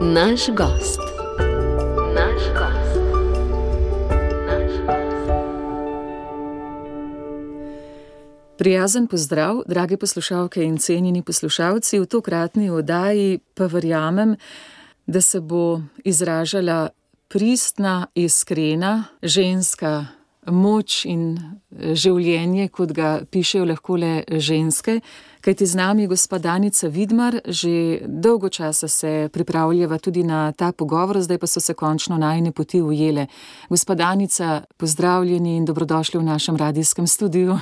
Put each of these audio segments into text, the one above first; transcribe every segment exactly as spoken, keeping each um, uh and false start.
Naš gost. Naš gost. Naš gost. Prijazen pozdrav, drage poslušalke in cenjeni poslušalci. V tokratni oddaji pa verjamem, da se bo izražala pristna, iskrena ženska moč in življenje, kot ga pišejo lahko le ženske. Kajti z nami gospa Danica Vidmar, že dolgo časa se pripravljava tudi na ta pogovor, zdaj pa so se končno najine poti ujele. Gospa Danica, pozdravljeni in dobrodošli v našem radijskem studiu.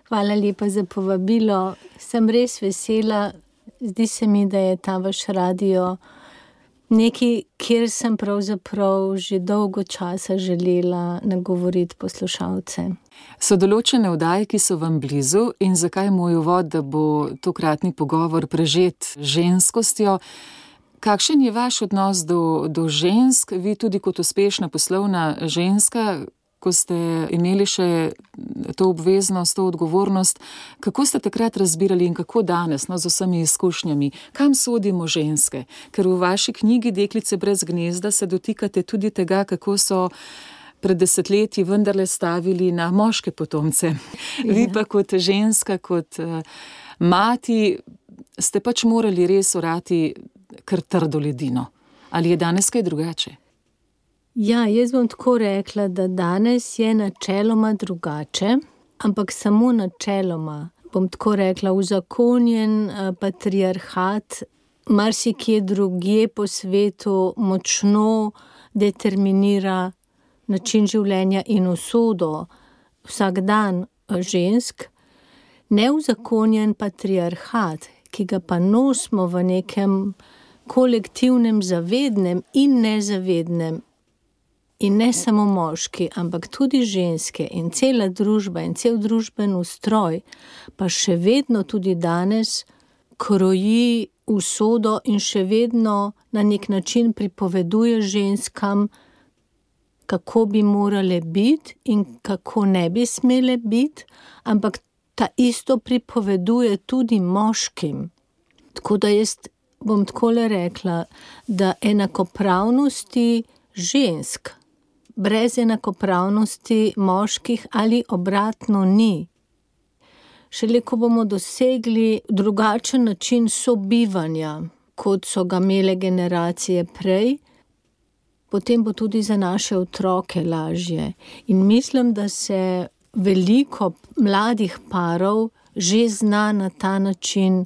Hvala lepa za povabilo. Sem res vesela. Zdi se mi, da je ta vaš radio nekaj, kjer sem pravzaprav že dolgo časa želela nagovoriti poslušalce. So določene oddaje, ki so vam blizu, in zakaj moj uvod, da bo tokratni pogovor prežet ženskostjo? Kakšen je vaš odnos do, do žensk, vi tudi kot uspešna poslovna ženska, ko ste imeli še to obveznost, to odgovornost, kako ste takrat razbirali in kako danes, no, z vsemi izkušnjami, kam sodimo ženske? Ker v vaši knjigi Deklice brez gnezda se dotikate tudi tega, kako so pred desetletji vendarle stavili na moške potomce. Ja. Vi pa kot ženska, kot uh, mati, ste pač morali res orati kar trdo ledino. Ali je danes kaj drugače? Ja, jaz bom tako rekla, da danes je načeloma drugače, ampak samo načeloma. Bom tako rekla, uzakonjen uh, patriarhat marsikje drugje po svetu močno determinira način življenja in usodo vsak dan žensk. Neuzakonjen patriarhat, ki ga pa nosimo v nekem kolektivnem zavednem in nezavednem, in ne samo moški, ampak tudi ženske in cela družba in cel družben ustroj, pa še vedno tudi danes kroji usodo in še vedno na nek način pripoveduje ženskam, kako bi morale biti in kako ne bi smele biti, ampak ta isto pripoveduje tudi moškim. Tako da jaz bom takole rekla, da enakopravnosti žensk brez enakopravnosti moških ali obratno ni. Šele ko bomo dosegli drugačen način sobivanja, kot so ga imele generacije prej, potem bo tudi za naše otroke lažje. In mislim, da se veliko mladih parov že zna na ta način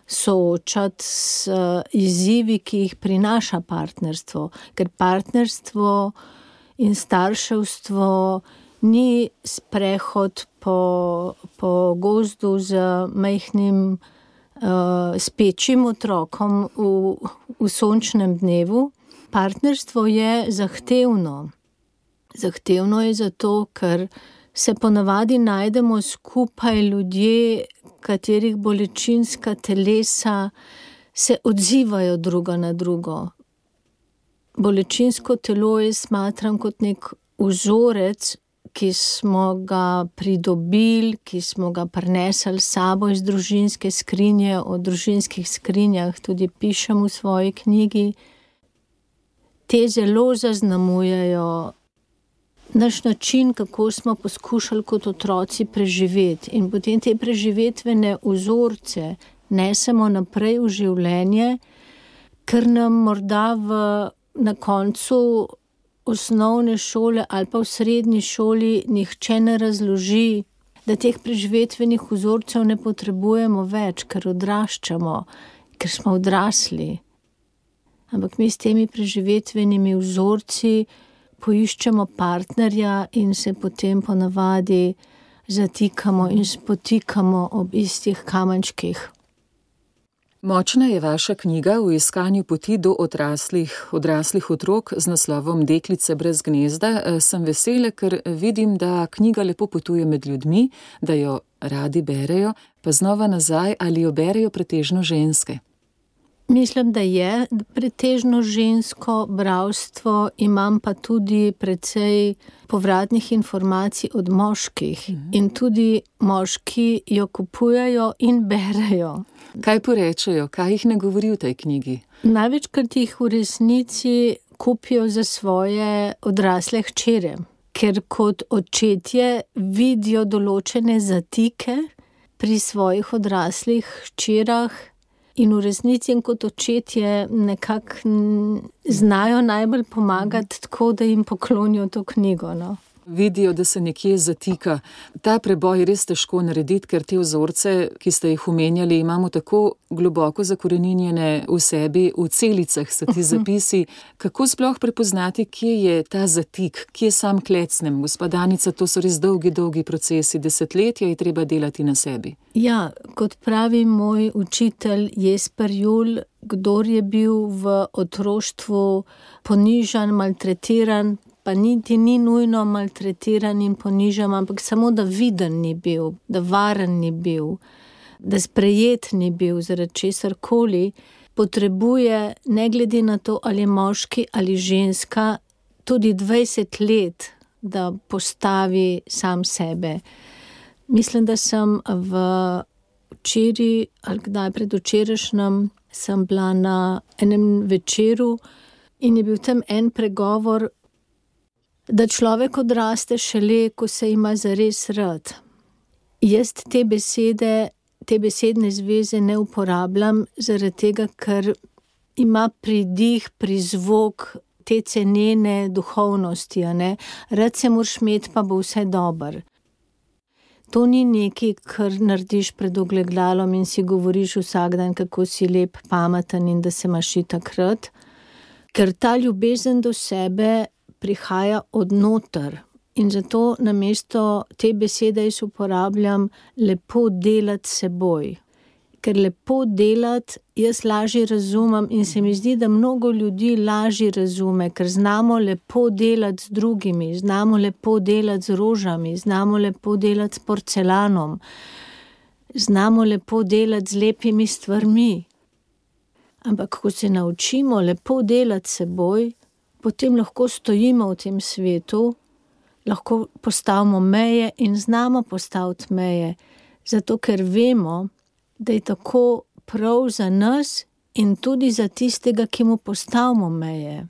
soočati s izzivi, ki jih prinaša partnerstvo. Ker partnerstvo in starševstvo ni sprehod po, po gozdu z majhnim uh, spečim otrokom v, v sončnem dnevu. Partnerstvo je zahtevno. Zahtevno je zato, ker se ponavadi najdemo skupaj ljudje, katerih bolečinska telesa se odzivajo druga na drugo. Bolečinsko telo je smatram kot nek vzorec, ki smo ga pridobili, ki smo ga prinesli s sabo iz družinske skrinje, o družinskih skrinjah tudi pišem v svoji knjigi. Te zelo zaznamujejo naš način, kako smo poskušali kot otroci preživeti. In potem te preživetvene vzorce nesemo naprej v življenje, ker nam morda v, na koncu osnovne šole ali pa v srednji šoli nihče ne razloži, da teh preživetvenih vzorcev ne potrebujemo več, ker odraščamo, ker smo odrasli. Ampak mi s temi preživetvenimi vzorci poiščemo partnerja in se potem ponavadi zatikamo in spotikamo ob istih kamenčkih. Močna je vaša knjiga v iskanju poti do odraslih, odraslih otrok z naslovom Deklice brez gnezda. Sem vesela, ker vidim, da knjiga lepo potuje med ljudmi, da jo radi berejo, pa znova nazaj, ali jo berejo pretežno ženske. Mislim, da je pretežno žensko bralstvo, imam pa tudi precej povratnih informacij od moških. Mhm. In tudi moški jo kupujejo in berejo. Kaj porečejo, kaj jih ne govori v tej knjigi? Največkrat jih v resnici kupijo za svoje odrasle hčere, ker kot očetje vidijo določene zatike pri svojih odraslih hčerah. In v resnici in kot očetje nekako znajo najbolj pomagati tako, da jim poklonijo to knjigo. No. Vidijo, da se nekje zatika. Ta preboj je res težko narediti, ker te vzorce, ki ste jih omenjali, imamo tako globoko zakoreninjene v sebi, v celicah so ti zapisi. Kako sploh prepoznati, kje je ta zatik, kje sam klecnem? Gospa Danica, to so res dolgi, dolgi procesi, desetletja je treba delati na sebi. Ja, kot pravi moj učitelj Jesper Juhl, kdor je bil v otroštvu ponižan, maltretiran, pa niti ni nujno maltretiran in ponižan, ampak samo da viden ni bil, da varen ni bil, da sprejet ni bil zaradi česarkoli, potrebuje, ne glede na to, ali je moški ali ženska, tudi dvajset let, da postavi sam sebe. Mislim, da sem v včeraj, ali kdaj predvčerajšnjem, sem bila na enem večeru in je bil tam en pregovor, da človek odraste šele, ko se ima zares rad. Jaz te besede, te besedne zveze ne uporabljam, zaradi tega, ker ima pridih, prizvok te cenene duhovnosti, a ne? Rad se moraš imeti, pa bo vse dobro. To ni nekaj, kar narediš pred ogledalom in si govoriš vsak dan, kako si lep, pameten in da se imaš itak rad. Ker ta ljubezen do sebe prihaja od noter in zato namesto te besede jaz uporabljam lepo delati seboj. Ker lepo delati jaz lažje razumem in se mi zdi, da mnogo ljudi lažje razume, ker znamo lepo delati z drugimi, znamo lepo delati z rožami, znamo lepo delati s porcelanom, znamo lepo delati z lepimi stvarmi. Ampak ko se naučimo lepo delati seboj, potem lahko stojimo v tem svetu, lahko postavimo meje in znamo postaviti meje, zato ker vemo, da je tako prav za nas in tudi za tistega, ki mu postavimo meje.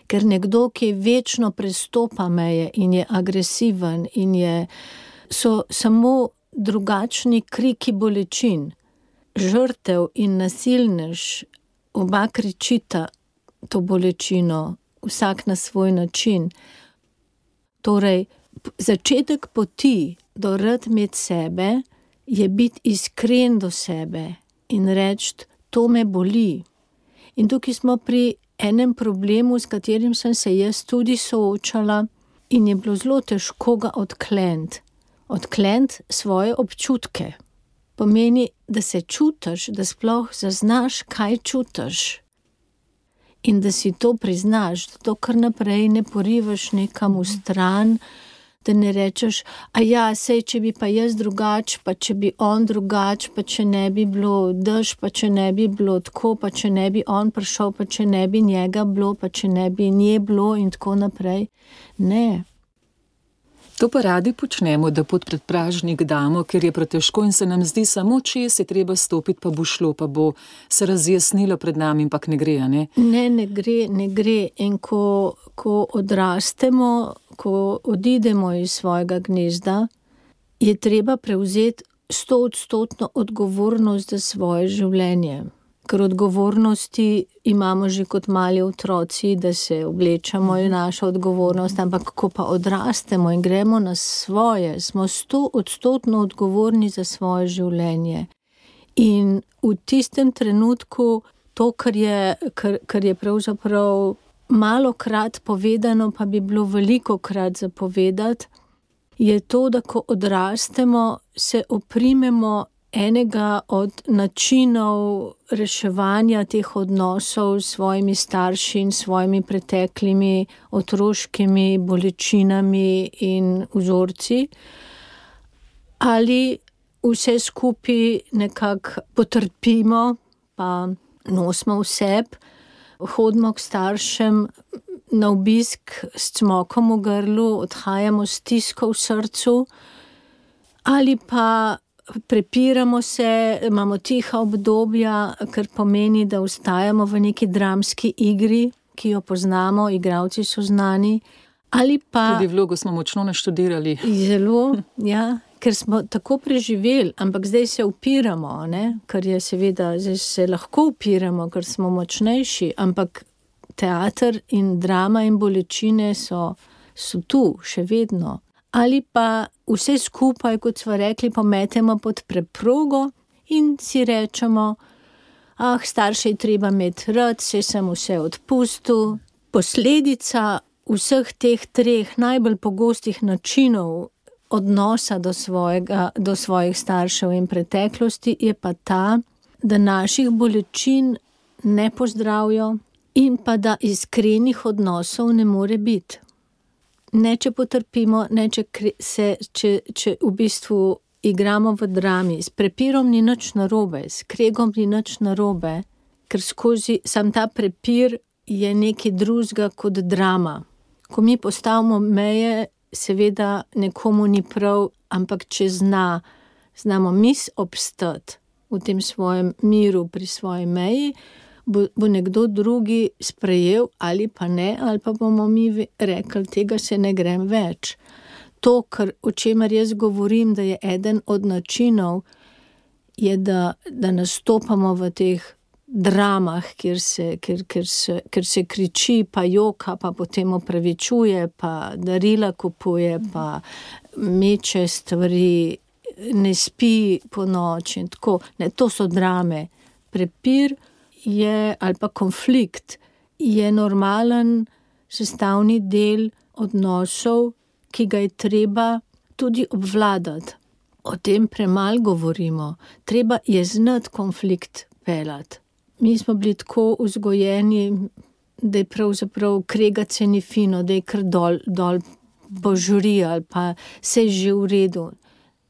Ker nekdo, ki večno prestopa meje in je agresiven in je, so samo drugačni kriki bolečin. Žrtev in nasilnež, oba kričita to bolečino, vsak na svoj način. Torej, začetek poti do rad imeti sebe je biti iskren do sebe in reči, to me boli. In tukaj smo pri enem problemu, s katerim sem se jaz tudi soočala in je bilo zelo težko ga odkleniti. Odkleniti svoje občutke. Pomeni, da se čutiš, da sploh zaznaš, kaj čutiš. In da si to priznaš, da to kar naprej ne porivaš nekam v stran, da ne rečeš, a ja, sej, če bi pa jaz drugač, pa če bi on drugač, pa če ne bi bilo dež, pa če ne bi bilo tako, pa če ne bi on prišel, pa če ne bi njega bilo, pa če ne bi nje bilo in tako naprej. Ne. To pa radi počnemo, da pod predpražnik damo, ker je pretežko in se nam zdi samo čez je treba stopiti, pa bo šlo, pa bo se razjasnilo pred nami, ampak ne gre, a ne? Ne, ne gre, ne gre. In ko, ko odrastemo, ko odidemo iz svojega gnezda, je treba prevzeti stoodstotno odgovornost za svoje življenje. Ker odgovornosti imamo že kot mali otroci, da se oblečamo, je naša odgovornost, ampak ko pa odrastemo in gremo na svoje, smo stoodstotno odgovorni za svoje življenje. In v tistem trenutku to, kar je, kar, kar je pravzaprav malokrat povedano, pa bi bilo velikokrat zapovedati, je to, da ko odrastemo, se oprimemo enega od načinov reševanja teh odnosov s svojimi starši in svojimi preteklimi otroškimi bolečinami in vzorci, ali vse skupaj nekako potrpimo, pa nosimo v sebi, hodimo k staršem na obisk s cmokom v grlu, odhajamo s stisko v srcu, ali pa prepiramo se, imamo tiha obdobja, kar pomeni, da ostajamo v neki dramski igri, ki jo poznamo, igralci so znani, ali pa... Tudi vlogo smo močno naštudirali. Zelo, ja, ker smo tako preživeli, ampak zdaj se upiramo, ne? Ker je seveda, zdaj se lahko upiramo, ker smo močnejši, ampak teater in drama in bolečine so, so tu še vedno. Ali pa vse skupaj, kot smo rekli, pometemo pod preprogo in si rečemo, ah, starše je treba imeti rad, se sem vse odpustil. Posledica vseh teh treh najbolj pogostih načinov odnosa do svojega, do svojih staršev in preteklosti je pa ta, da naših bolečin ne pozdravijo in pa da iskrenih odnosov ne more biti. Ne, če potrpimo, ne, če, se, če, če v bistvu igramo v drami. S prepirom ni nič narobe, s kregom ni nič narobe, ker skozi sam ta prepir je nekaj drugega kot drama. Ko mi postavimo meje, seveda nekomu ni prav, ampak če zna, znamo mi obstati v tem svojem miru pri svoji meji, bo, bo nekdo drugi sprejel ali pa ne, ali pa bomo mi rekli, tega se ne grem več. To, kar, o čemer jaz govorim, da je eden od načinov, je, da, da nastopamo v teh dramah, kjer se, kjer, kjer se, kjer se kriči, pa joka, pa potem opravičuje, pa darila kupuje, pa meče stvari, ne spi po noči in tako. Ne, to so drame. Prepir je, ali pa konflikt, je normalen sestavni del odnosov, ki ga je treba tudi obvladati. O tem premalo govorimo. Treba je znati konflikt peljati. Mi smo bili tako vzgojeni, da je pravzaprav kregati se ni fino, da je kar dol, dol požuri ali pa se je že v redu.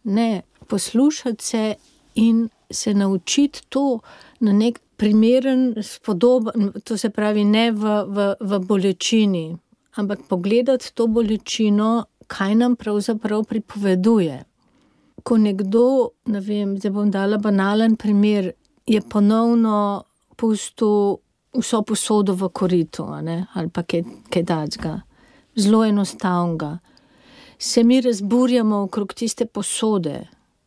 Ne, poslušati se in se naučiti to na nek primeren, spodoben, to se pravi ne v, v, v bolečini, ampak pogledati to bolečino, kaj nam pravzaprav pripoveduje. Ko nekdo, ne vem, zdaj bom dala banalen primer, je ponovno pustil vso posodo v koritu, ne? Ali pa kaj, kaj dacga. Zelo enostavnega. Se mi razburjamo okrog tiste posode,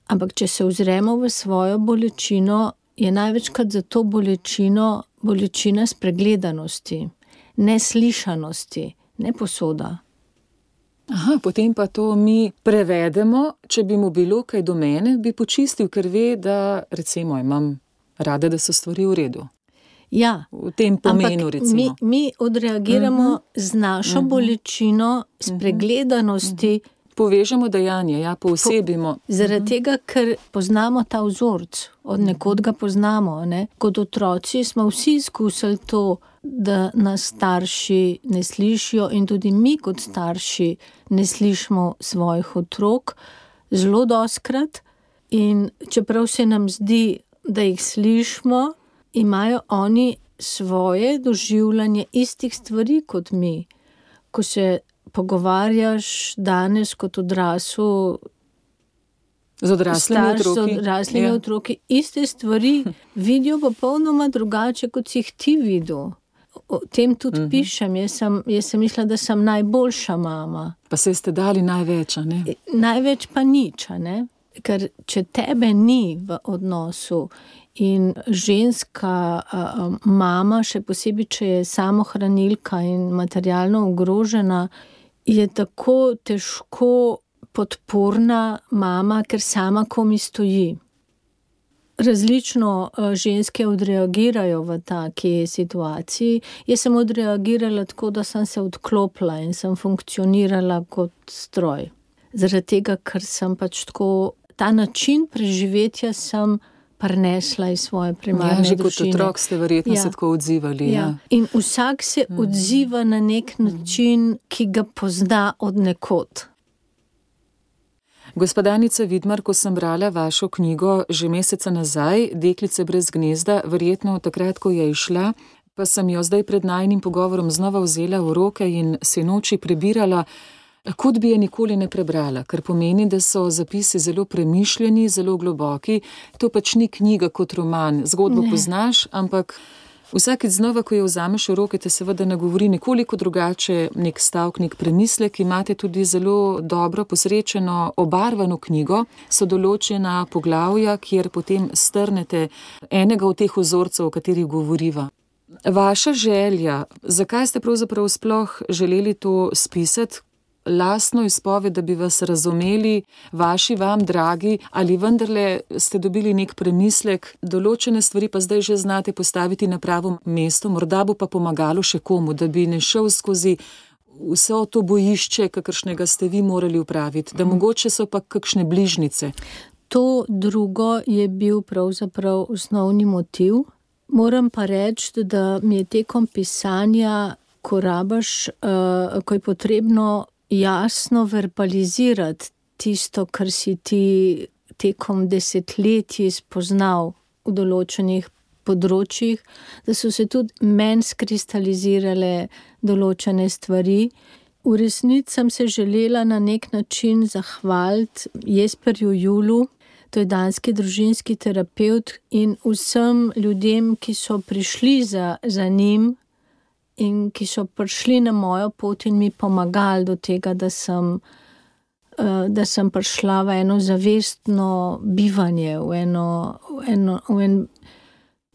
ampak če se ozremo v svojo bolečino, je največkrat za to bolečino bolečina spregledanosti, neslišanosti, ne posoda. Aha, potem pa to mi prevedemo, če bi mu bilo kaj do mene, bi počistil, ker ve, da recimo imam rada, da so stvari v redu. Ja, v tem pomenu, ampak recimo. Mi, mi odreagiramo uh-huh. z našo uh-huh. bolečino, spregledanosti. Uh-huh. Povežemo dejanje, ja, poosebimo. Po, zaradi tega, ker poznamo ta vzorc, od nekod ga poznamo. Ne? Kot otroci smo vsi izkusili to, da nas starši ne slišijo in tudi mi kot starši ne slišimo svojih otrok zelo dostikrat. In čeprav se nam zdi, da jih slišimo, imajo oni svoje doživljanje istih stvari kot mi. Ko se pogovarjaš danes kot odrasel z odraslimi otroki, z odraslimi ja. otroki, iste stvari vidijo popolnoma drugače, kot si jih ti videl. O tem tudi uh-huh. pišem. Jaz sem, jaz sem mislila, da sem najboljša mama. Pa se ste dali največ, ne? Največ pa nič, ne? Ker če tebe ni v odnosu in ženska a, mama, še posebej, če je samohranilka in materialno ogrožena, je tako težko podporna mama, ker sama komi stoji. Različno ženske odreagirajo v taki situaciji. Jaz sem odreagirala tako, da sem se odklopila in sem funkcionirala kot stroj. Zaradi tega, ker sem pač tako, ta način preživetja sem prinesla iz svoje primarne ja, že družine. Kot otrok ste verjetno ja. se tako odzivali. Ja. Ja. In vsak se mm. odziva na nek način, ki ga pozna od nekod. Gospa Danica Vidmar, ko sem brala vašo knjigo že meseca nazaj, Deklice brez gnezda, verjetno takrat, ko je išla, pa sem jo zdaj pred najinim pogovorom znova vzela v roke in se noči prebirala, kot bi je nikoli ne prebrala, kar pomeni, da so zapisi zelo premišljeni, zelo globoki. To pač ni knjiga kot roman, zgodbo ne. Poznaš, ampak vsakeč znova, ko jo vzameš v roke, te seveda nagovori nekoliko drugače, nek stavek, nek premislek. Imate tudi zelo dobro posrečeno, obarvano knjigo, so določena poglavja, kjer potem strnete enega od teh vzorcev, o katerih govoriva. Vaša želja, zakaj ste pravzaprav sploh želeli to spisati, lastno izpoved, da bi vas razumeli, vaši vam dragi, ali vendarle ste dobili nek premislek, določene stvari pa zdaj že znate postaviti na pravo mesto, morda bo pa pomagalo še komu, da bi ne šel skozi vse to bojišče, kakršnega ste vi morali upraviti, da mogoče so pa kakšne bližnice. To drugo je bil pravzaprav osnovni motiv. Moram pa reči, da mi je tekom pisanja, ko rabaš, uh, ko je potrebno jasno verbalizirati tisto, kar si ti tekom desetletji spoznal v določenih področjih, da so se tudi meni skristalizirale določene stvari. V resnici sem se želela na nek način zahvaliti Jesperju Julu, to je danski družinski terapevt, in vsem ljudem, ki so prišli za, za njim, in ki so prišli na mojo pot in mi pomagali do tega, da sem, da sem prišla v eno zavestno bivanje, v, eno, v, eno, v en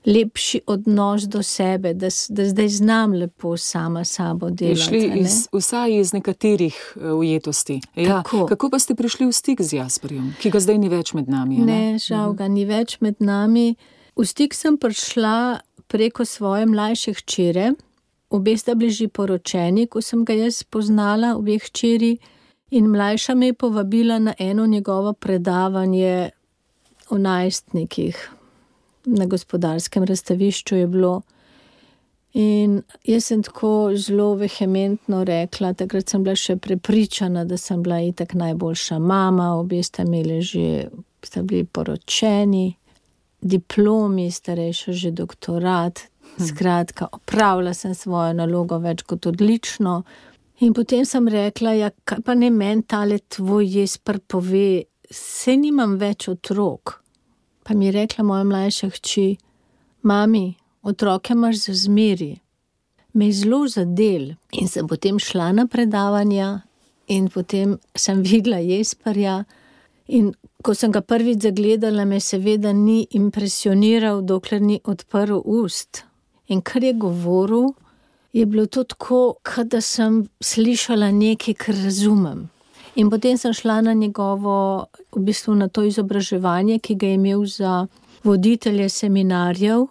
lepši odnos do sebe, da, da zdaj znam lepo sama sabo delati. Šli iz, vsaj iz nekaterih ujetosti. Ja, kako pa ste prišli v stik z Jasperjem, ki ga zdaj ni več med nami? Ne, ne žal ga ni več med nami. V stik sem prišla preko svoje mlajše hčere. Obe sta bili že poročeni, ko sem ga jaz spoznala, obe hčeri, in mlajša me je povabila na eno njegovo predavanje o najstnikih. Na Gospodarskem razstavišču je bilo. In jaz sem tako zelo vehementno rekla, takrat sem bila še prepričana, da sem bila itak najboljša mama, obe sta imeli že, sta bili poročeni, diplomi, starejša že doktorat. Skratka, opravila sem svojo nalogo več kot odlično. In potem sem rekla, ja, kaj pa ne meni tale tvoj Jesper pove, saj nimam več otrok. Pa mi je rekla moja mlajša hči, mami, otroke imaš za zmeri. Me je zelo zadel. In sem potem šla na predavanja in potem sem videla Jesperja. In ko sem ga prvič zagledala, me seveda ni impresioniral, dokler ni odprl ust. In kar je govoril, je bilo to tako, kot da sem slišala nekaj, kar razumem. In potem sem šla na njegovo, v bistvu na to izobraževanje, ki ga je imel za voditelje seminarjev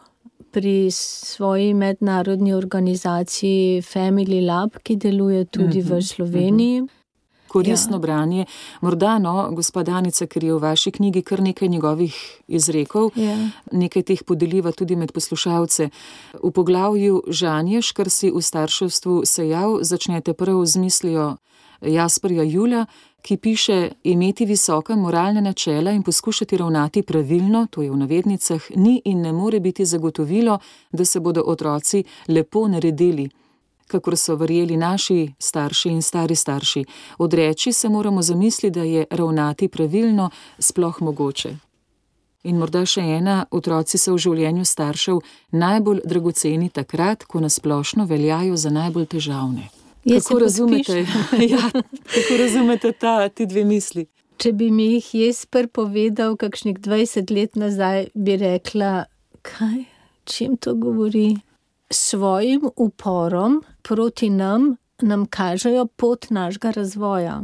pri svoji mednarodni organizaciji Family Lab, ki deluje tudi mm-hmm. v Sloveniji. Mm-hmm. Koristno ja. branje. Morda, no, gospa Danica, ker je v vaši knjigi kar nekaj njegovih izrekov, ja. nekaj teh podeliva tudi med poslušalce. V poglavju Žanješ, kar si v starševstvu sejal, začnete prav z mislijo Jasperja Jula, ki piše, imeti visoka moralna načela in poskušati ravnati pravilno, to je v navednicah, ni in ne more biti zagotovilo, da se bodo otroci lepo naredili, kakor so verjeli naši starši in stari starši. Odreči se moramo zamisliti, da je ravnati pravilno sploh mogoče. In morda še ena, otroci so v življenju staršev najbolj dragoceni takrat, ko nasplošno veljajo za najbolj težavne. Kako razumete, ja, kako razumete ta, ti dve misli? Če bi mi jih Jesper povedal kakšnih dvajset let nazaj, bi rekla, kaj, čim to govori? Svojim uporom proti nam, nam kažejo pot našega razvoja.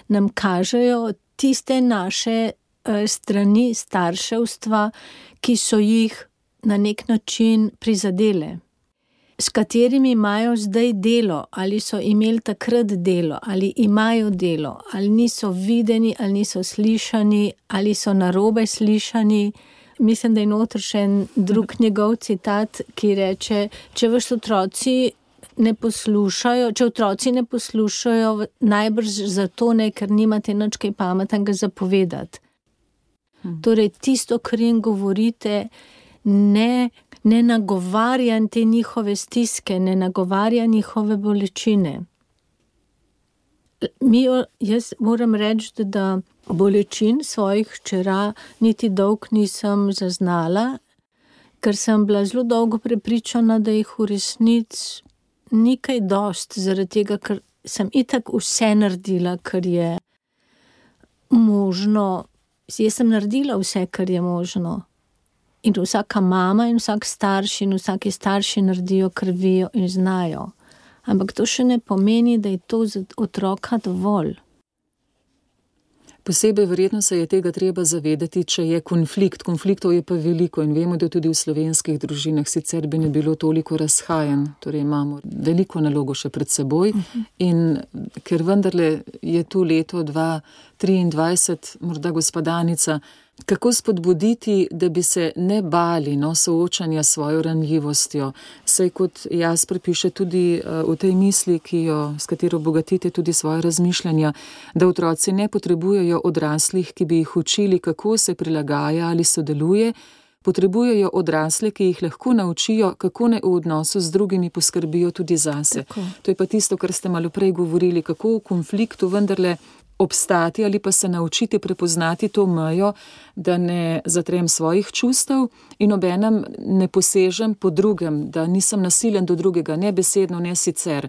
Nam kažejo tiste naše strani starševstva, ki so jih na nek način prizadele. S katerimi imajo zdaj delo, ali so imeli takrat delo, ali imajo delo, ali niso videni, ali niso slišani, ali so narobe slišani. Mislim, da je noter še en drug njegov citat, ki reče, če vaši otroci ne poslušajo, če otroci ne poslušajo, najbrž zato ne, ker nimate nič kaj pametnega zapovedati. Hmm. Torej, tisto, kar jim govorite, ne, ne nagovarja te njihove stiske, ne nagovarja njihove bolečine. Mi, jaz moram reči, da bolečin svojih hčera niti dolg nisem zaznala, ker sem bila zelo dolgo prepričana, da jih v resnici ni kaj dost, zaradi tega, ker sem itak vse naredila, kar je možno. Jaz sem naredila vse, kar je možno. In vsaka mama in vsak starš in vsaki starši naredijo, kar vejo in znajo. Ampak to še ne pomeni, da je to za otroka dovolj. Posebej verjetno se je tega treba zavedati, če je konflikt. Konfliktov je pa veliko in vemo, da tudi v slovenskih družinah sicer bi ne bilo toliko razhajanj. Torej imamo veliko nalogo še pred seboj in ker vendarle je tu leto dva triindvajset, morda gospodanica, kako spodbuditi, da bi se ne bali no, soočanja s svojo ranljivostjo. Saj kot Jasper piše tudi uh, v tej misli, ki jo, s katero bogatite tudi svoje razmišljanja, da otroci ne potrebujejo odraslih, ki bi jih učili, kako se prilagaja ali sodeluje, potrebujejo odrasle, ki jih lahko naučijo, kako naj v odnosu z drugimi poskrbijo tudi zase. Tako. To je pa tisto, kar ste malo prej govorili, kako v konfliktu vendarle obstati ali pa se naučiti prepoznati to mejo, da ne zatrem svojih čustev in obenem ne posežem po drugem, da nisem nasilen do drugega, ne besedno, ne sicer.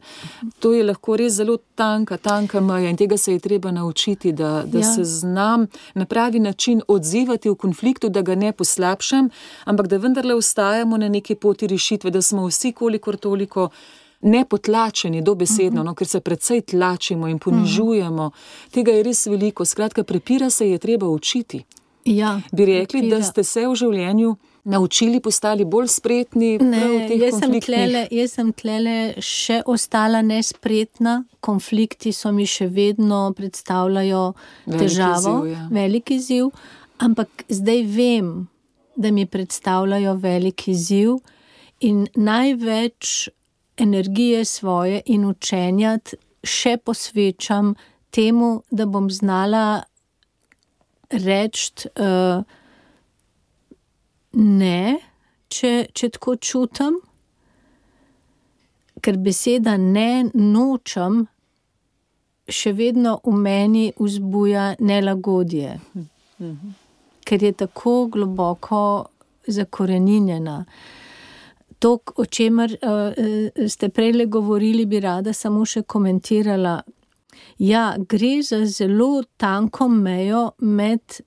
To je lahko res zelo tanka, tanka meja in tega se je treba naučiti, da, da ja. se znam na pravi način odzivati v konfliktu, da ga ne poslabšam, ampak da vendarle ostajamo na neki poti rešitve, da smo vsi kolikor toliko nepotlačeni dobesedno, no, ker se precej tlačimo in ponižujemo. Tega je res veliko. Skratka, prepira se je treba učiti. Ja, bi rekli, prepira. Da ste se v življenju naučili, postali bolj spretni ne, prav v teh jaz konfliktnih? Sem tlele, jaz sem tlele še ostala nespretna. Konflikti so mi še vedno predstavljajo Veliki težavo, izziv, ja. veliki izziv, ampak zdaj vem, da mi predstavljajo veliki izziv in največ energije svoje in učenja še posvečam temu, da bom znala reči uh, ne, če, če tako čutim, ker beseda ne nočem še vedno v meni vzbuja nelagodje, mhm. ker je tako globoko zakoreninjena. To, o čemer uh, ste prejle govorili, bi rada samo še komentirala. Ja, gre za zelo tanko mejo med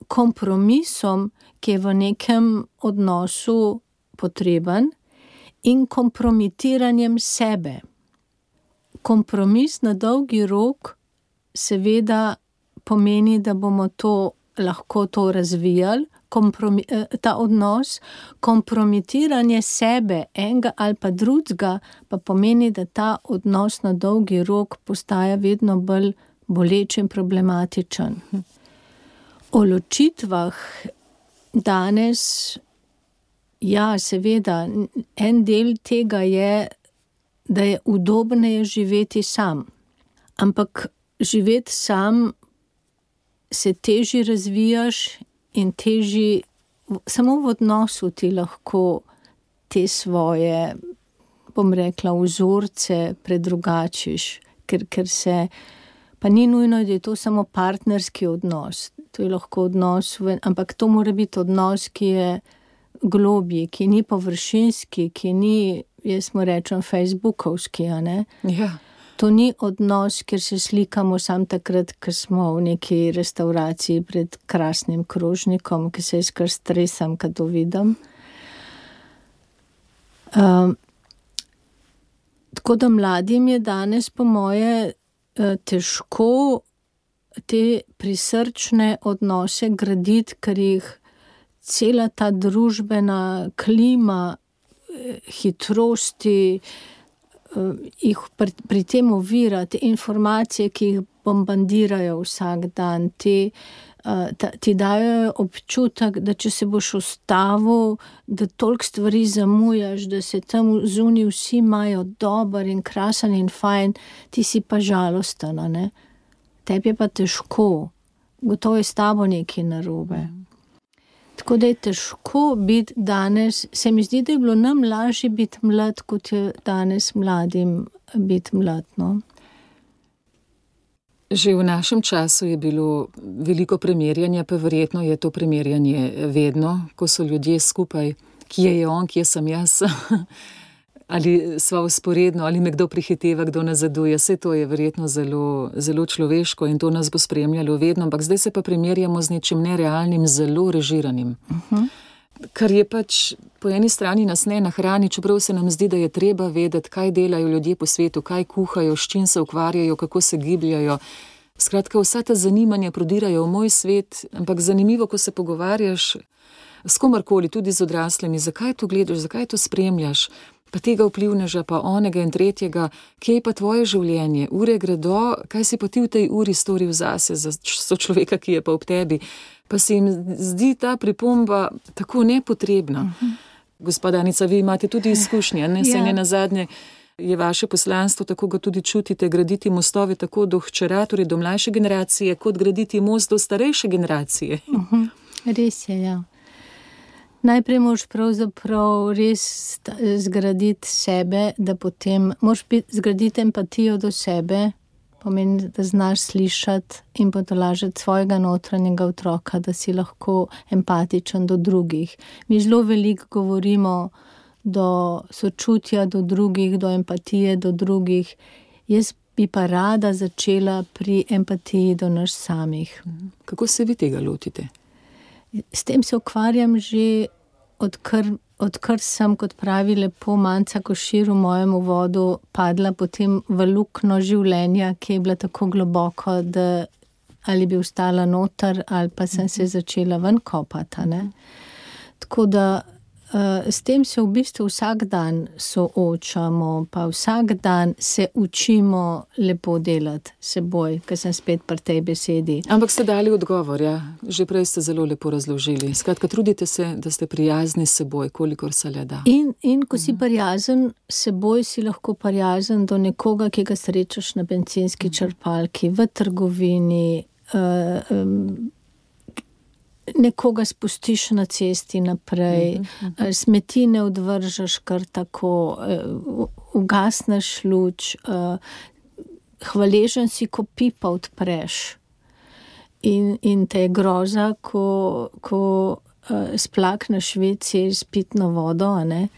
kompromisom, ki je v nekem odnosu potreben, in kompromitiranjem sebe. Kompromis na dolgi rok seveda pomeni, da bomo to lahko to razvijali, Kompromi, ta odnos, kompromitiranje sebe, enega ali pa drugega, pa pomeni, da ta odnos na dolgi rok postaja vedno bolj boleč in problematičen. O ločitvah danes, ja, seveda, en del tega je, da je udobneje živeti sam. Ampak živeti sam se težje razvijaš in teži, samo v odnosu ti lahko te svoje, bom rekla, vzorce predrugačiš, ker, ker se, pa ni nujno, da je to samo partnerski odnos, to je lahko odnos, ampak to mora biti odnos, ki je globji, ki ni površinski, ki ni, jaz mu rečem, facebookovski, a ne? Ja. To ni odnos, kjer se slikamo sam takrat, ko smo v neki restauraciji pred krasnim krožnikom, ki se jaz kar stresam, kad to vidim. Um, tako da mladim je danes po moje težko te prisrčne odnose graditi, ker jih cela ta družbena klima, hitrosti, jih pri, pri tem ovira, te informacije, ki jih bombardirajo vsak dan, te uh, ta, ti dajo občutek, da če se boš ustavil, da toliko stvari zamujaš, da se tam zunaj vsi imajo dober in krasen in fajn, ti si pa žalosten, ne? Tebi je pa težko, gotovo je s tabo nekaj narobe. Mm. Tako da je težko biti danes, se mi zdi, da je bilo nam lažje biti mlad, kot je danes mladim biti mlad, no. Že v našem času je bilo veliko primerjanja, pa verjetno je to primerjanje vedno, ko so ljudje skupaj, kje je on, kje sem jaz, ali sva vzporedno, ali me kdo prihiteva, kdo nazaduje. Vse to je verjetno zelo, zelo človeško in to nas bo spremljalo vedno, ampak zdaj se pa primerjamo z nečim nerealnim, zelo režiranim. Uh-huh. Kar je pač po eni strani nas ne nahrani, čeprav se nam zdi, da je treba vedeti, kaj delajo ljudje po svetu, kaj kuhajo, s čim se ukvarjajo, kako se gibljajo. Skratka, vsa ta zanimanja prodirajo v moj svet, ampak zanimivo, ko se pogovarjaš s komarkoli, tudi z odraslimi, zakaj to gledaš, zakaj to spremljaš, pa tega vplivneža, pa onega in tretjega, kje je pa tvoje življenje, ure gredo, kaj si pa ti v tej uri storil zase, za sočloveka, ki je pa ob tebi. Pa se jim zdi ta pripomba tako nepotrebna. Uh-huh. Gospa Danica, vi imate tudi izkušnje, ne? Saj ne nazadnje je vaše poslanstvo, tako ga tudi čutite, graditi mostove tako do hčera, torej do mlajše generacije, kot graditi most do starejše generacije. Uh-huh. Res je, ja. Najprej moraš pravzaprav res zgraditi sebe, da potem moraš zgraditi empatijo do sebe, pomeni, da znaš slišati in potolažiti svojega notranjega otroka, da si lahko empatičen do drugih. Mi zelo veliko govorimo do sočutja do drugih, do empatije do drugih. Jaz bi pa rada začela pri empatiji do nas samih. Kako se vi tega lotite? S tem se ukvarjam že odkar, odkar sem, kot pravi lepo Manca Košir v mojem uvodu, padla potem v luknjo življenja, ki je bila tako globoko, da ali bi ostala noter, ali pa sem se začela ven kopati, ne. Tako da uh, s tem se v bistvu vsak dan soočamo, pa vsak dan se učimo lepo delati seboj, ker sem spet pri tej besedi. Ampak ste dali odgovor, ja. Že prej ste zelo lepo razložili. Skratka, trudite se, da ste prijazni s seboj, kolikor se le da. In, in ko si prijazen s seboj, si lahko prijazen do nekoga, ki ga srečaš na bencinski črpalki, v trgovini, uh, um, nekoga spustiš na cesti naprej, uh-huh, uh-huh. smeti ne odvržeš kar tako, uh, ugasneš luč, uh, hvaležen si, ko pipa odpreš. In, in te je groza, ko, ko uh, splakneš vece s pitno vodo, a ne.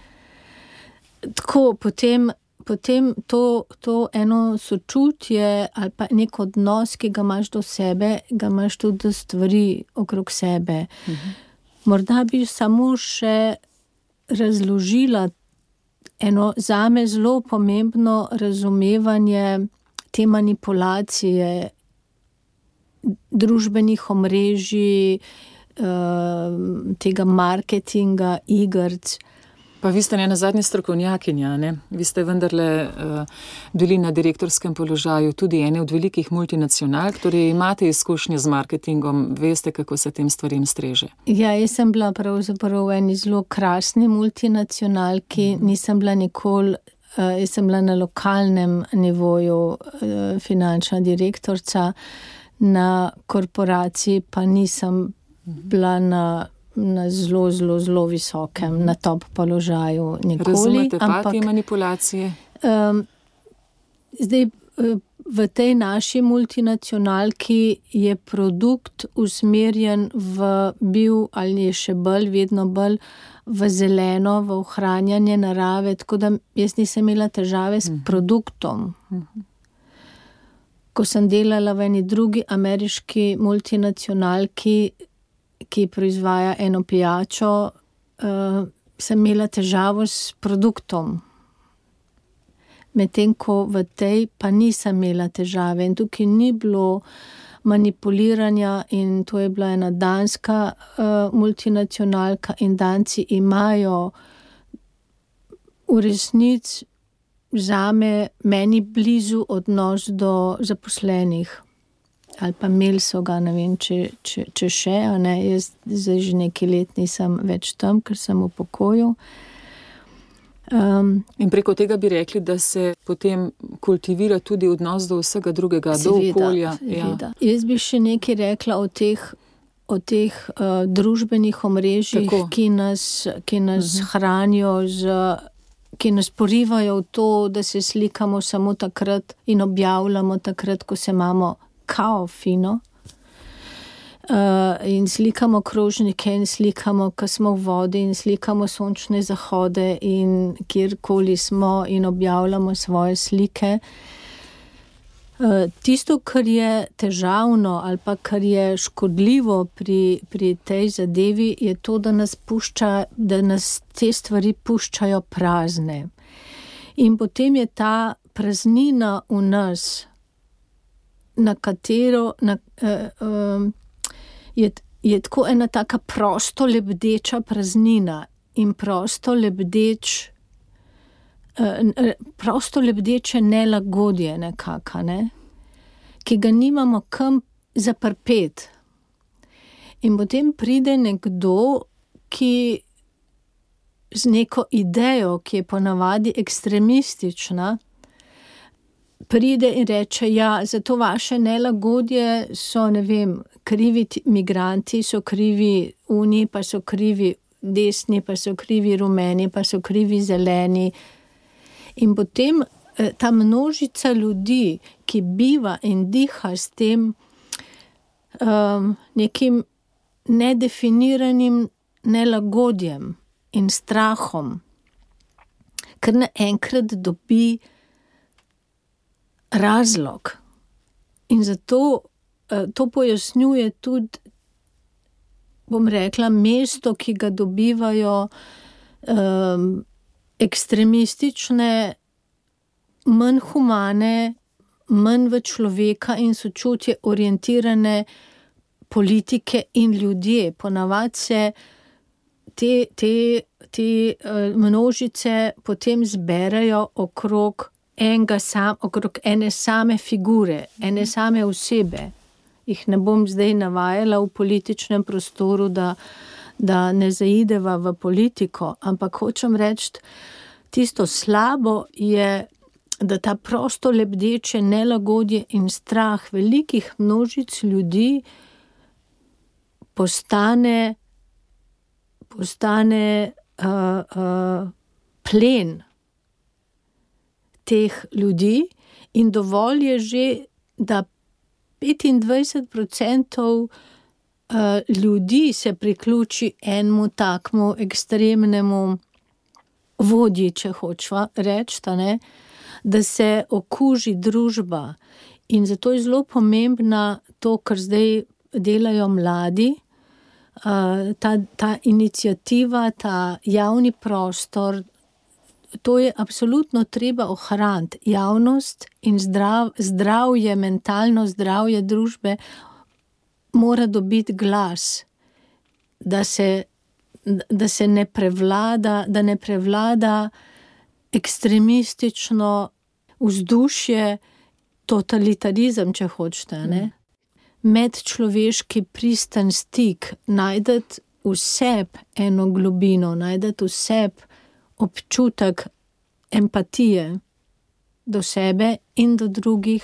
Tako, potem, potem to, to eno sočutje ali pa nek odnos, ki ga imaš do sebe, ga imaš tudi do stvari okrog sebe. Mhm. Morda bi samo še razložila eno zame zelo pomembno razumevanje te manipulacije družbenih omrežij, tega marketinga, igrc. Pa vi ste ne nazadnje strokovnjakinja, ne? Vi ste vendarle uh, bili na direktorskem položaju tudi ene od velikih multinacionalk, torej imate izkušnje z marketingom, veste, kako se tem stvarem streže. Ja, jaz sem bila pravzaprav v eni zelo krasni multinacionalki, mm. nisem bila nikoli, uh, jaz sem bila na lokalnem nivoju uh, finančna direktorica, na korporaciji pa nisem bila na na zelo, zelo, zelo visokem, na top položaju nikoli. Razumete pa te manipulacije? Um, zdaj, v tej naši multinacionalki je produkt usmerjen v bil, ali je še bolj, vedno bolj v zeleno, v ohranjanje narave, tako da jaz nisem imela težave s produktom. Uh-huh. Ko sem delala v eni drugi ameriški multinacionalki, ki proizvaja eno pijačo, uh, sem imela težavo s produktom. Medtem ko v tej pa nisem imela težave in tukaj ni bilo manipuliranja in to je bila ena danska uh, multinacionalka in Danci imajo v resnici zame meni blizu odnos do zaposlenih. ali pa imeli so ga, ne vem, če, če, če še, ne, jaz zdaj že nekaj let nisem več tam, ker sem v pokoju. Um, In preko tega bi rekli, da se potem kultivira tudi odnos do vsega drugega, seveda, do okolja. Seveda. Ja. Jaz bi še nekaj rekla o teh, o teh uh, družbenih omrežjih, ki nas, ki nas uh-huh. hranijo z... ki nas porivajo v to, da se slikamo samo takrat in objavljamo takrat, ko se imamo kao fino. Uh, in slikamo krožnike in slikamo, ko smo v vodi in slikamo sončne zahode in kjerkoli smo in objavljamo svoje slike. Uh, tisto, kar je težavno ali pa kar je škodljivo pri, pri tej zadevi, je to, da nas pušča, da nas te stvari puščajo prazne. In potem je ta praznina v nas, na katero na, uh, um, je, je tako ena taka prosto lebdeča praznina in prosto lebdeč prosto lebdeče nelagodje nekaka, ne? Ki ga nimamo kam zaprpet. In potem pride nekdo, ki z neko idejo, ki je ponavadi ekstremistična, pride in reče, ja, za to vaše nelagodje so, ne vem, krivi migranti, so krivi uni, pa so krivi desni, pa so krivi rumeni, pa so krivi zeleni. In potem ta množica ljudi, ki biva in diha s tem um, nekim nedefiniranim nelagodjem in strahom, ker naenkrat dobi razlog. In zato uh, to pojasnjuje tudi, bom rekla, mesto, ki ga dobivajo um, ekstremistične, manj humane, manj v človeka in sočutje orientirane politike in ljudje. Ponavadi se te, te, te množice potem zberajo okrog enega sam, okrog ene same figure, ene same osebe. Jih ne bom zdaj navajala v političnem prostoru, da da ne zaideva v politiko, ampak hočem reči, tisto slabo je, da ta prosto lebdeče nelagodje in strah velikih množic ljudi postane, postane uh, uh, plen teh ljudi in dovolj je že, da petindvajset procentov Uh, ljudi se priključi enemu takmu ekstremnemu vodji, če hočva reči, da se okuži družba. In zato je zelo pomembna to, kar zdaj delajo mladi, uh, ta, ta iniciativa, ta javni prostor, to je absolutno treba ohraniti. Javnost in zdrav, zdravje, mentalno zdravje družbe mora dobiti glas, da se, da se ne prevlada, da ne prevlada ekstremistično vzdušje, totalitarizem, če hočete, ne? Medčloveški pristan stik, najdeti v sebi eno globino, najdeti v sebi občutek empatije do sebe in do drugih,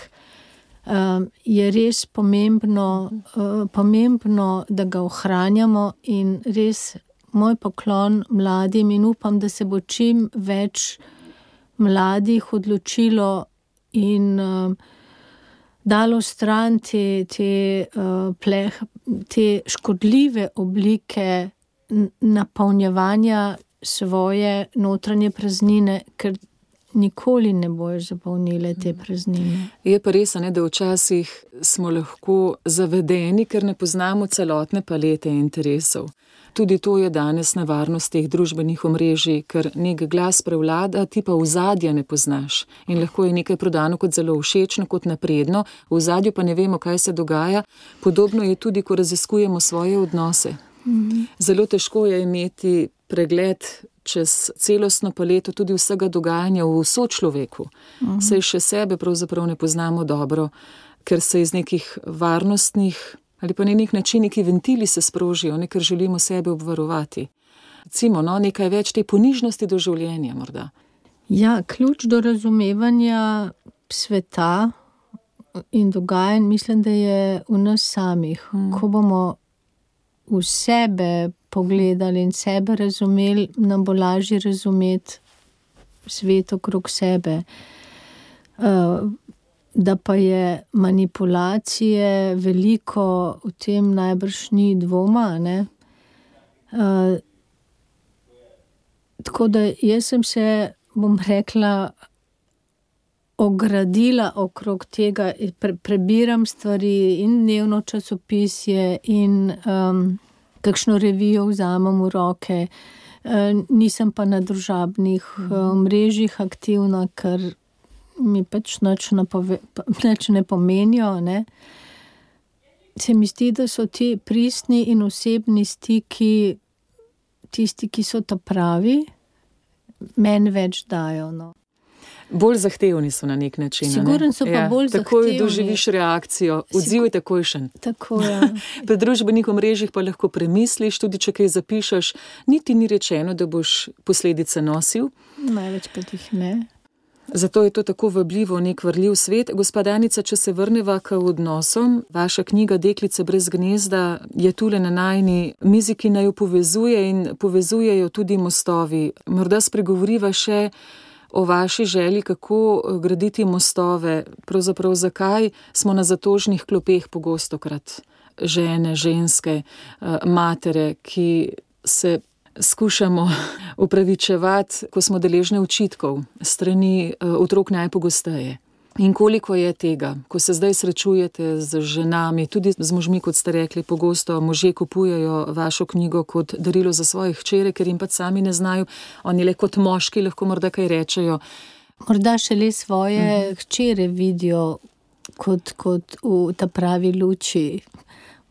Um, je res pomembno, uh, pomembno, da ga ohranjamo in res moj poklon mladim in upam, da se bo čim več mladih odločilo in uh, dalo stran te, te, uh, pleh, te škodljive oblike napolnjevanja svoje notranje praznine, ker nikoli ne bojo zapolnile te praznine. Je pa res, ne, da včasih smo lahko zavedeni, ker ne poznamo celotne palete interesov. Tudi to je danes nevarnost teh družbenih omrežij, ker nek glas prevlada, ti pa ozadja ne poznaš. In lahko je nekaj prodano kot zelo všečno, kot napredno, v ozadju pa ne vemo, kaj se dogaja. Podobno je tudi, ko raziskujemo svoje odnose. Mhm. Zelo težko je imeti pregled čez celostno paleto tudi vsega dogajanja v sočloveku. Uh-huh. Saj še sebe pravzaprav ne poznamo dobro. ker se iz nekih varnostnih ali pa na nek način neki ventili se sprožijo, ne, ker želimo sebe obvarovati. Recimo, no, nekaj več te ponižnosti do življenja morda. Ja, ključ do razumevanja sveta in dogajanj mislim, da je v nas samih. Hmm. Ko bomo v sebe pogledali in sebe razumeli, nam bo lažje razumeti svet okrog sebe. Uh, da pa je manipulacije veliko, v tem najbrž ni dvoma, ne? Uh, tako da jaz sem se, bom rekla, ogradila okrog tega, pre, prebiram stvari in dnevno časopisje in um, kakšno revijo vzamem v roke. Uh, nisem pa na družabnih uh, mrežjih aktivna, ker mi pač nič ne, pove, nič ne pomenijo. Ne? Se mi zdi, da so ti pristni in osebni stiki tisti, ki so ta pravi, meni več dajo. No. Bolj zahtevni so na nek način. Siguren so pa ja, bolj takoj zahtevni. Takoj doživiš reakcijo, odziv je takojšen. Tako, ja. Pri družbenih omrežjih pa lahko premisliš, tudi če kaj zapišeš, niti ni rečeno, da boš posledice nosil. Največkrat jih ne. Zato je to tako vabljivo, nek vrljiv svet. Gospa Danica, če se vrneva k odnosom, vaša knjiga Deklice brez gnezda je tule na najini mizi, ki naj jo povezuje in povezujejo tudi mostovi. Morda spregovoriva še o vaši želji, kako graditi mostove, pravzaprav zakaj smo na zatožnih klopeh pogostokrat žene, ženske, matere, ki se skušamo upravičevati, ko smo deležne očitkov strani otrok najpogosteje. In koliko je tega, ko se zdaj srečujete z ženami, tudi z možmi, kot ste rekli, pogosto možje kupujejo vašo knjigo kot darilo za svoje hčere, ker jim pa sami ne znajo, oni le kot moški lahko morda kaj rečejo. Morda šele svoje mhm. hčere vidijo kot, kot v ta pravi luči.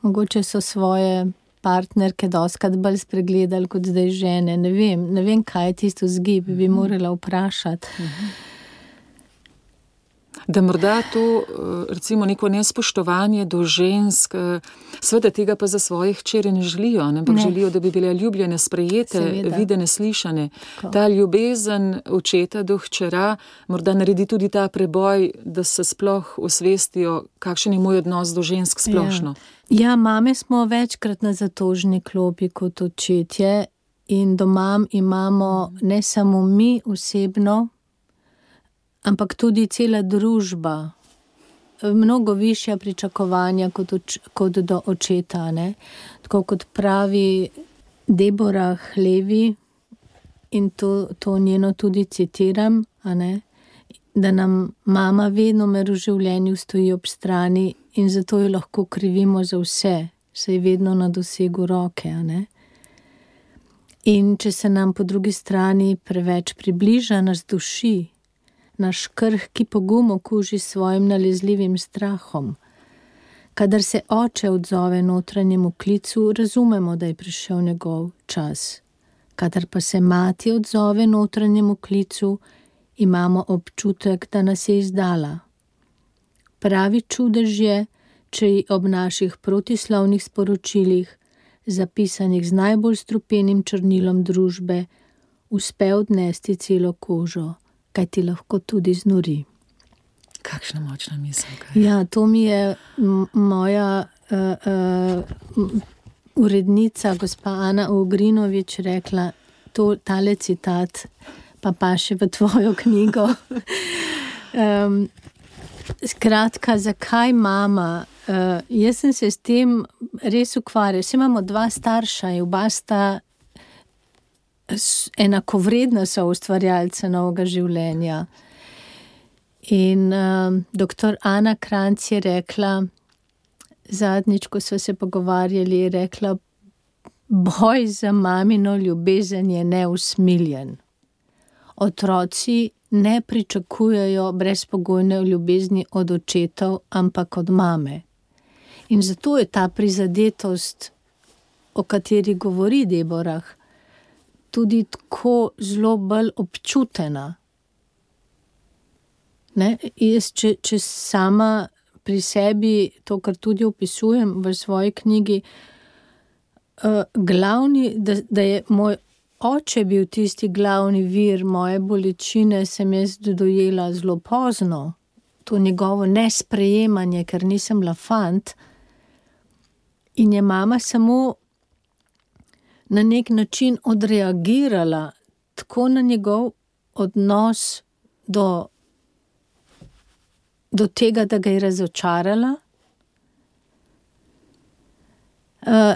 Mogoče so svoje partnerke doskrat bolj spregledali kot zdaj žene. Ne vem, ne vem, kaj je tisto zgib, bi morala vprašati. Mhm. Da morda to, recimo, neko nespoštovanje do žensk, seveda tega pa za svoje hčere ne želijo, ampak ne. Želijo, da bi bile ljubljene, sprejete, seveda. Videne, slišane. Tako. Ta ljubezen očeta do hčera morda naredi tudi ta preboj, da se sploh osvestijo, kakšen je moj odnos do žensk splošno. Ja, ja, mame smo večkrat na zatožni klopi kot očetje in doma imamo ne samo mi osebno, ampak tudi cela družba, mnogo višja pričakovanja kot, oč, kot do očeta. Ne? Tako kot pravi Deborah Levi, in to, to njeno tudi citiram, a ne? Da nam mama vedno mer v življenju stoji ob strani in zato jo lahko krivimo za vse, saj je vedno na dosegu roke. A ne? In če se nam po drugi strani preveč približa, nas duši, naš krhki pogum okuži s svojim nalezljivim strahom. Kadar se oče odzove notranjemu klicu, razumemo, da je prišel njegov čas. Kadar pa se mati odzove notranjemu klicu, imamo občutek, da nas je izdala. Pravi čudež je, če ji ob naših protislovnih sporočilih, zapisanih z najbolj strupenim črnilom družbe, uspe odnesti celo kožo, kaj ti lahko tudi znori. Kakšna močna misel. Kaj? Ja, to mi je m- moja uh, uh, urednica, gospa Ana Ugrinovič, rekla, to, tale citat pa paše v tvojo knjigo. um, skratka, zakaj mama? Uh, jaz sem se s tem res ukvarjala. Vsi imamo dva starša in oba sta enakovredna so ustvarjalca novega življenja. In uh, doktor Ana Kranc je rekla, zadnjič, ko so se pogovarjali, je rekla, boj za mamino ljubezen je neusmiljen. Otroci ne pričakujejo brezpogojne ljubezni od očetov, ampak od mame. In zato je ta prizadetost, o kateri govori Deborah, tudi tako zelo bolj občutena. Ne? Jaz, če, če sama pri sebi, to, kar tudi opisujem v svoji knjigi, uh, glavni, da, da je moj oče bil tisti glavni vir moje bolečine, sem jaz dojela zelo pozno. To njegovo nesprejemanje, ker nisem bila fant. In je mama samo na nek način odreagirala tako na njegov odnos do, do tega, da ga je razočarala, uh,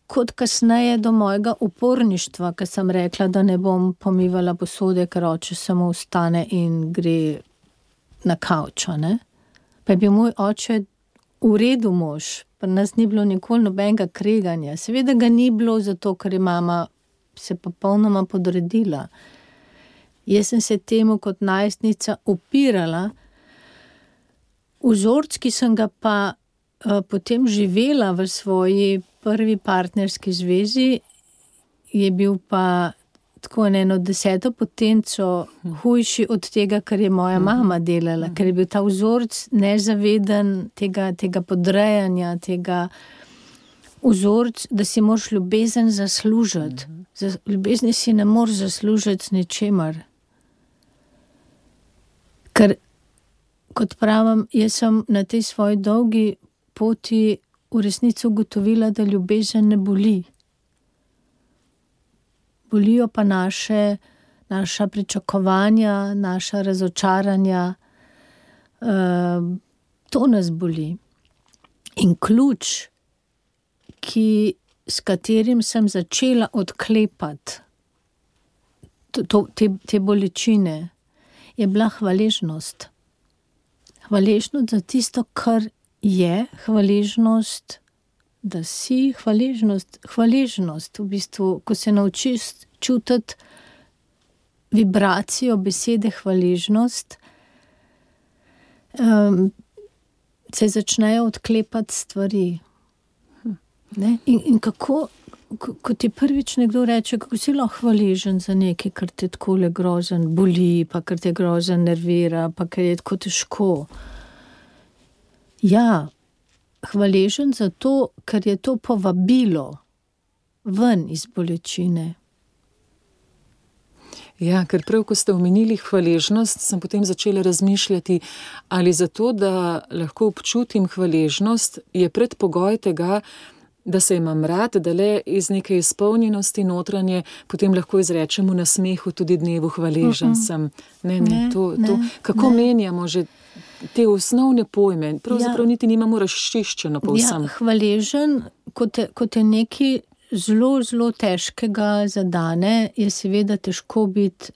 kot kasneje do mojega uporništva, ker sem rekla, da ne bom pomivala posode, ker oče samo vstane in gre na kavčo, ne. Pa je bil moj oče v redu mož, pa nas ni bilo nikoli nobenega kreganja. Seveda ga ni bilo zato, ker je mama se popolnoma podredila. Jaz sem se temu kot najstnica upirala, vzorc, ki sem ga pa uh, potem živela v svoji prvi partnerski zvezi, je bil pa tako eno deseto potenco hujši od tega, kar je moja mama delala, ker je bil ta vzorc nezaveden tega, tega podrejanja, tega vzorc, da si moraš ljubezen zaslužiti. Za ljubezni si ne moreš zaslužiti z ničemer. Ker, kot pravim, jaz sem na tej svoji dolgi poti v resnici ugotovila, da ljubezen ne boli. Bolijo pa naše, naša pričakovanja, naša razočaranja. Uh, to nas boli. In ključ, ki, s katerim sem začela odklepati to, to, te, te bolečine, je bila hvaležnost. Hvaležnost za tisto, kar je, hvaležnost, da si, hvaležnost, hvaležnost, v bistvu, ko se naučiš čutiti vibracijo besede hvaležnost, um, se začnejo odklepati stvari. Ne? In, in kako, ko, ko ti prvič nekdo reče, kako si lahko hvaležen za nekaj, kar te takole grozen boli, pa kar te grozen nervira, pa kar je tako težko. Ja, hvaležen za to, ker je to povabilo ven iz bolečine. Ja, ker prav, ko ste omenili hvaležnost, sem potem začela razmišljati, ali zato, da lahko občutim hvaležnost, je predpogoj tega, da se imam rad, da le iz neke izpolnjenosti notranje potem lahko izrečemo na smehu tudi dnevu hvaležen sem. Ne, ne, ne, to, ne, to, kako ne. menjamo že te osnovne pojme, pravzaprav ja. niti nimamo razčiščeno povsem. Ja, hvaležen, kot je, kot je nekaj zelo, zelo težkega zadane, je seveda težko biti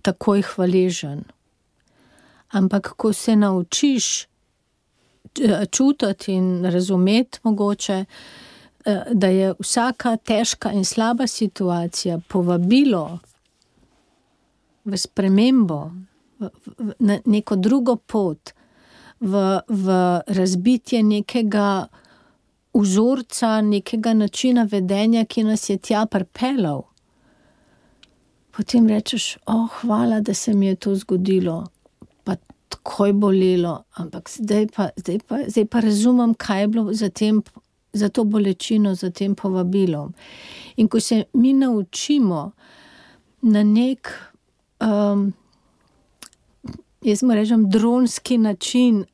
takoj hvaležen. Ampak, ko se naučiš čutiti in razumeti mogoče, da je vsaka težka in slaba situacija povabilo v spremembo, v, v, na neko drugo pot, v, v razbitje nekega vzorca, nekega načina vedenja, ki nas je tja pripeljal. Potem rečeš, oh, hvala, da se mi je to zgodilo, pa takoj bolelo, ampak zdaj pa, zdaj pa, zdaj pa razumem, kaj je bilo za tem, za to bolečino, za tem povabilom. In ko se mi naučimo na nek, um, jaz mu rečem, dronski način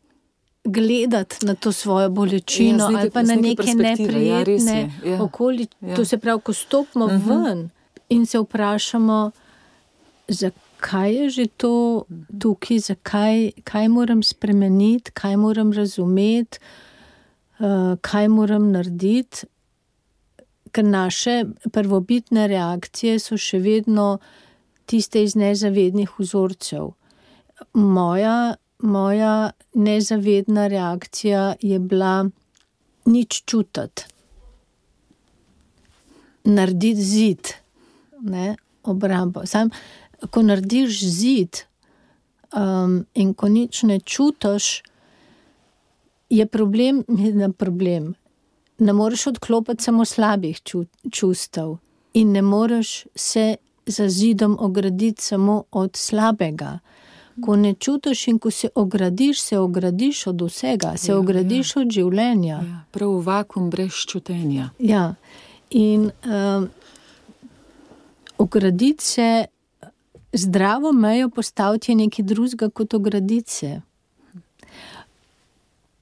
gledati na to svojo bolečino, ja, ali pa na neke neprijetne ja, ja. okoli, ja. To se pravi, ko stopimo uh-huh. ven in se vprašamo, zakaj je že to tukaj, zakaj, kaj moram spremeniti, kaj moram razumeti, Uh, kaj moram narediti, ker naše prvobitne reakcije so še vedno tiste iz nezavednih vzorcev. Moja, moja nezavedna reakcija je bila nič čutiti. Narediti zid, ne, obrambo. Sam, ko narediš zid um, in ko nič ne čutiš, je problem, je problem. Ne moreš odklopiti samo slabih čustev in ne moreš se za zidom ograditi samo od slabega. Ko ne čutiš in ko se ogradiš, se ogradiš od vsega, se Ja, ogradiš od življenja. Ja, prav vakuum brez čutenja. Ja, in um, ograditi se, zdravo mejo postaviti je nekaj drugega kot ograditi se.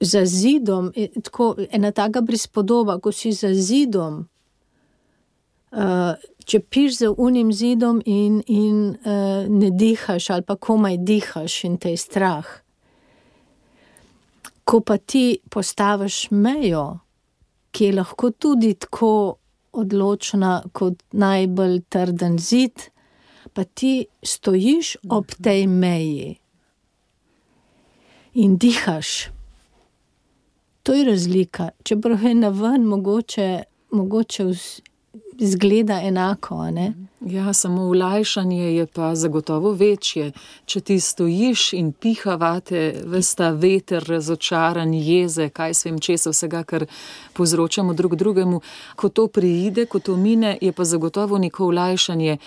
Za zidom, je tako, ena taka prispodoba, ko si za zidom, uh, če piš za unim zidom in, in uh, ne dihaš ali pa komaj dihaš in te je strah. Ko pa ti postaviš mejo, ki je lahko tudi tako odločna kot najbolj trden zid, pa ti stojiš ob tej meji in dihaš. To je razlika. Čeprav je naven mogoče, mogoče izgleda enako, a ne? Ja, samo olajšanje je pa zagotovo večje. Če ti stojiš in piha vate ves ta veter, razočaran, jeze, kaj svem česa vsega, kar povzročamo drug drugemu, ko to priide, ko to mine, je pa zagotovo neko olajšanje,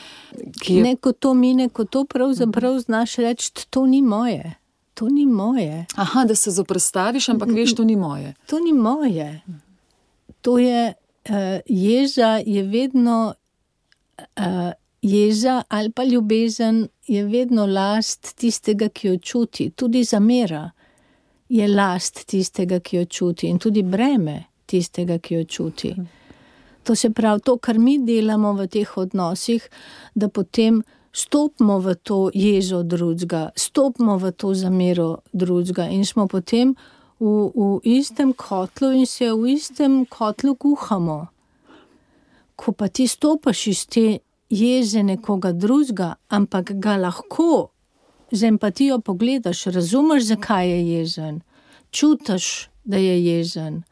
ki je... Ne, ko to mine, ko to pravzaprav znaš reči, to ni moje. To ni moje. Aha, da se zoprstaviš, ampak veš, to ni moje. To ni moje. To je, uh, jeza je vedno, uh, jeza ali pa ljubezen je vedno last tistega, ki jo čuti. Tudi zamera je last tistega, ki jo čuti in tudi breme tistega, ki jo čuti. To se pravi, to, kar mi delamo v teh odnosih, da potem stopimo v to jezo drugega, stopimo v to zamero drugega in smo potem v, v istem kotlu in se v istem kotlu kuhamo. Ko pa ti stopaš iz te jeze nekoga drugega, ampak ga lahko z empatijo pogledaš, razumeš, zakaj je jezen, čutiš, da je jezen,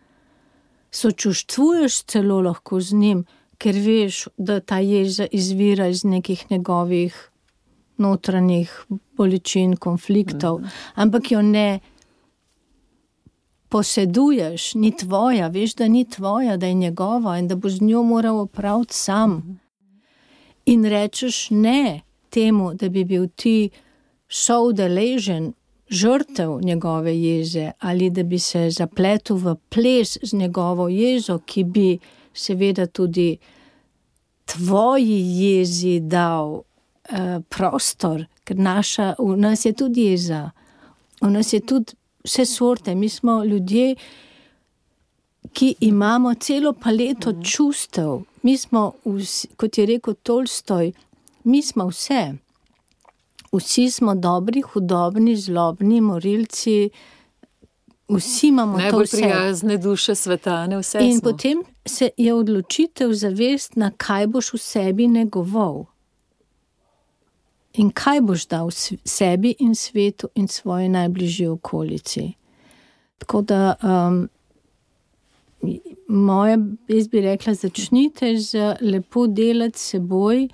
sočustvuješ celo lahko z njim, ker veš, da ta jeza izvira iz nekih njegovih notranjih bolečin, konfliktov, ampak jo ne poseduješ, ni tvoja, veš, da ni tvoja, da je njegova in da boš z njo moral opraviti sam. In rečeš ne temu, da bi bil ti soudeležen, žrtev njegove jeze ali da bi se zapletel v ples z njegovo jezo, ki bi seveda tudi tvoji jezi dal uh, prostor, ker naša, v nas je tudi jeza, v nas je tudi vse sorte, mi smo ljudje, ki imamo celo paleto čustev, mi smo, vsi, kot je rekel Tolstoj, mi smo vse, vsi smo dobri, hudobni, zlobni, morilci, vsi imamo to vse. Najbolj prijazne duše sveta, ne vse in smo. Potem se je odločitev zavest, na kaj boš v sebi negoval. In kaj boš dal sebi in svetu in svoji najbližji okolici. Tako da, um, moja, jaz bi rekla, začnite z lepo delati seboj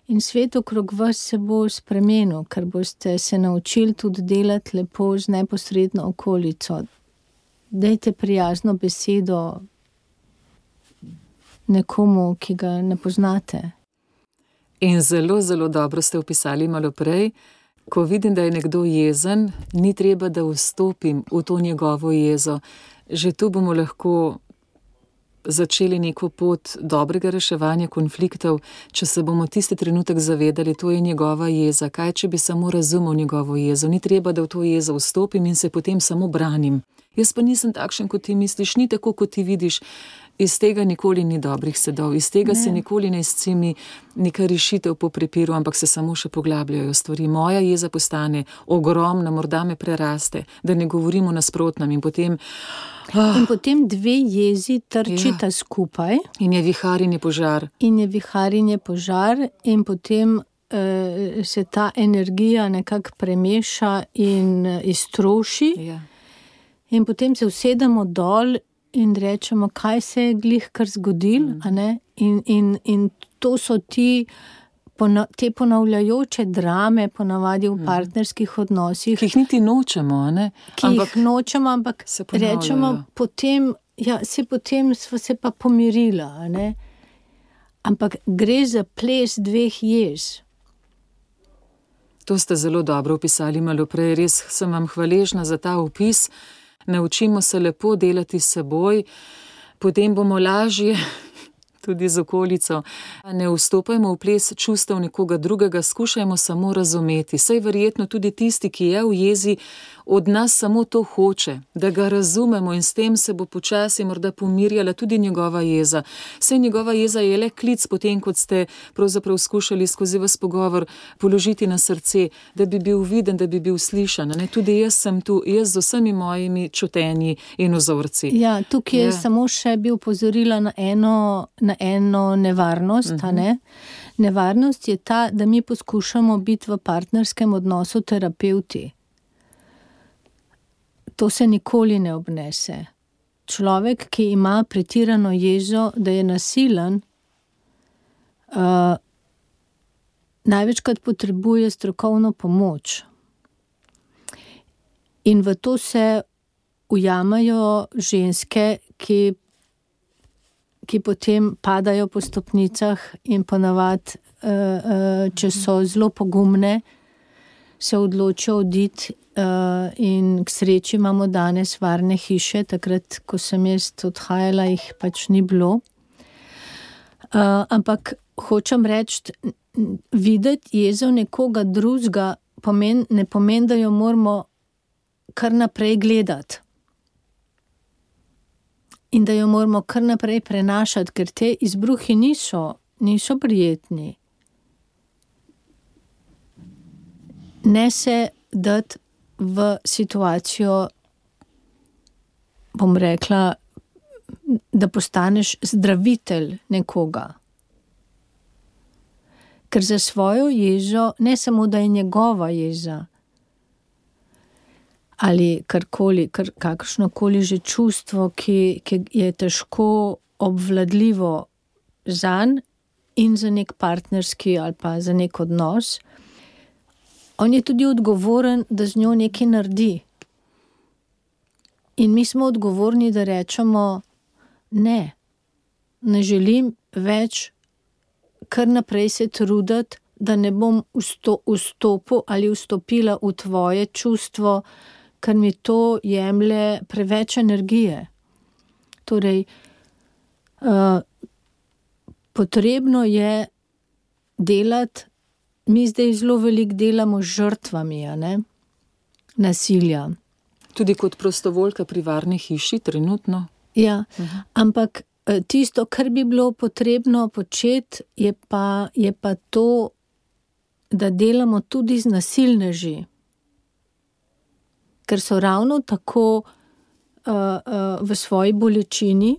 in svet okrog vas se bo spremenil, ker boste se naučili tudi delati lepo z neposredno okolico. Dajte prijazno besedo nekomu, ki ga ne poznate. In zelo, zelo dobro ste opisali malo prej, ko vidim, da je nekdo jezen, ni treba, da vstopim v to njegovo jezo. Že tu bomo lahko začeli neko pot dobrega reševanja konfliktov, če se bomo tisti trenutek zavedali, to je njegova jeza. Kaj, če bi samo razumel njegovo jezo? Ni treba, da v to jezo vstopim in se potem samo branim. Jaz pa nisem takšen, kot ti misliš, ni tako, kot ti vidiš. Iz tega nikoli ni dobrih sedov, iz tega ne. Se nikoli ne izcimi neka rešitev po prepiru, ampak se samo še poglabljajo stvari. Moja jeza postane ogromna, morda me preraste, da ne govorimo nasprotnem in potem... Ah, in potem dve jezi trčita ja. Skupaj. In je vihar in je požar. In je vihar in je požar in potem uh, se ta energija nekako premeša in uh, iztroši. Ja. In potem se usedemo dol in rečemo, kaj se je glih kar zgodil, mm. a ne? In, in, in to so ti, te ponavljajoče drame, ponavadi v mm. partnerskih odnosih. Ki jih niti nočemo, a ne? Ki ampak jih nočemo, ampak rečemo potem, ja, se potem sva se pa pomirila, a ne? Ampak gre za ples dveh jez. To ste zelo dobro opisali malo prej, res sem vam hvaležna za ta opis. Naučimo se lepo delati s seboj, potem bomo lažje tudi z okolico. Ne vstopajmo v ples čustev nekoga drugega, skušajmo samo razumeti. Saj verjetno tudi tisti, ki je v jezi, od nas samo to hoče, da ga razumemo in s tem se bo počasi morda pomirjala tudi njegova jeza. Saj njegova jeza je le klic potem, kot ste pravzaprav skušali skozi vas pogovor položiti na srce, da bi bil viden, da bi bil slišan. Ne? Tudi jaz sem tu, jaz z vsemi mojimi čutenji in vzorci. Ja, tukaj je ja. samo še bi upozorila na eno, na eno nevarnost. Uh-huh. Ne? Nevarnost je ta, da mi poskušamo biti v partnerskem odnosu terapevti. To se nikoli ne obnese. Človek, ki ima pretirano jezo, da je nasilen, uh, največkrat potrebuje strokovno pomoč. In v to se ujamajo ženske, ki, ki potem padajo po stopnicah in ponavadi, uh, uh, če so zelo pogumne, se odločijo oditi. Uh, in k sreči imamo danes varne hiše, takrat, ko sem jaz odhajala, jih pač ni bilo. Uh, ampak hočem reči, videti jezo nekoga drugega pomen, ne pomeni, da jo moramo kar naprej gledati. In da jo moramo kar naprej prenašati, ker te izbruhi niso, niso prijetni. Ne se dati v situacijo, bom rekla, da postaneš zdravitelj nekoga. Ker za svojo jezo, ne samo da je njegova jeza, ali karkoli, kar, kakršnokoli že čustvo, ki, ki je težko obvladljivo zanj in za nek partnerski ali pa za nek odnos, on je tudi odgovoren, da z njo nekaj naredi. In mi smo odgovorni, da rečemo, ne, ne želim več kar naprej se truditi, da ne bom vstopil ali vstopila v tvoje čustvo, ker mi to jemlje preveč energije. Torej, uh, potrebno je delati. Mi zdaj zelo veliko delamo z žrtvami, a ne? Nasilja. Tudi kot prostovoljka pri varni hiši, trenutno. Ja, uh-huh. Ampak tisto, kar bi bilo potrebno početi, je pa, je pa to, da delamo tudi z nasilneži. Ker so ravno tako uh, uh, v svoji bolečini,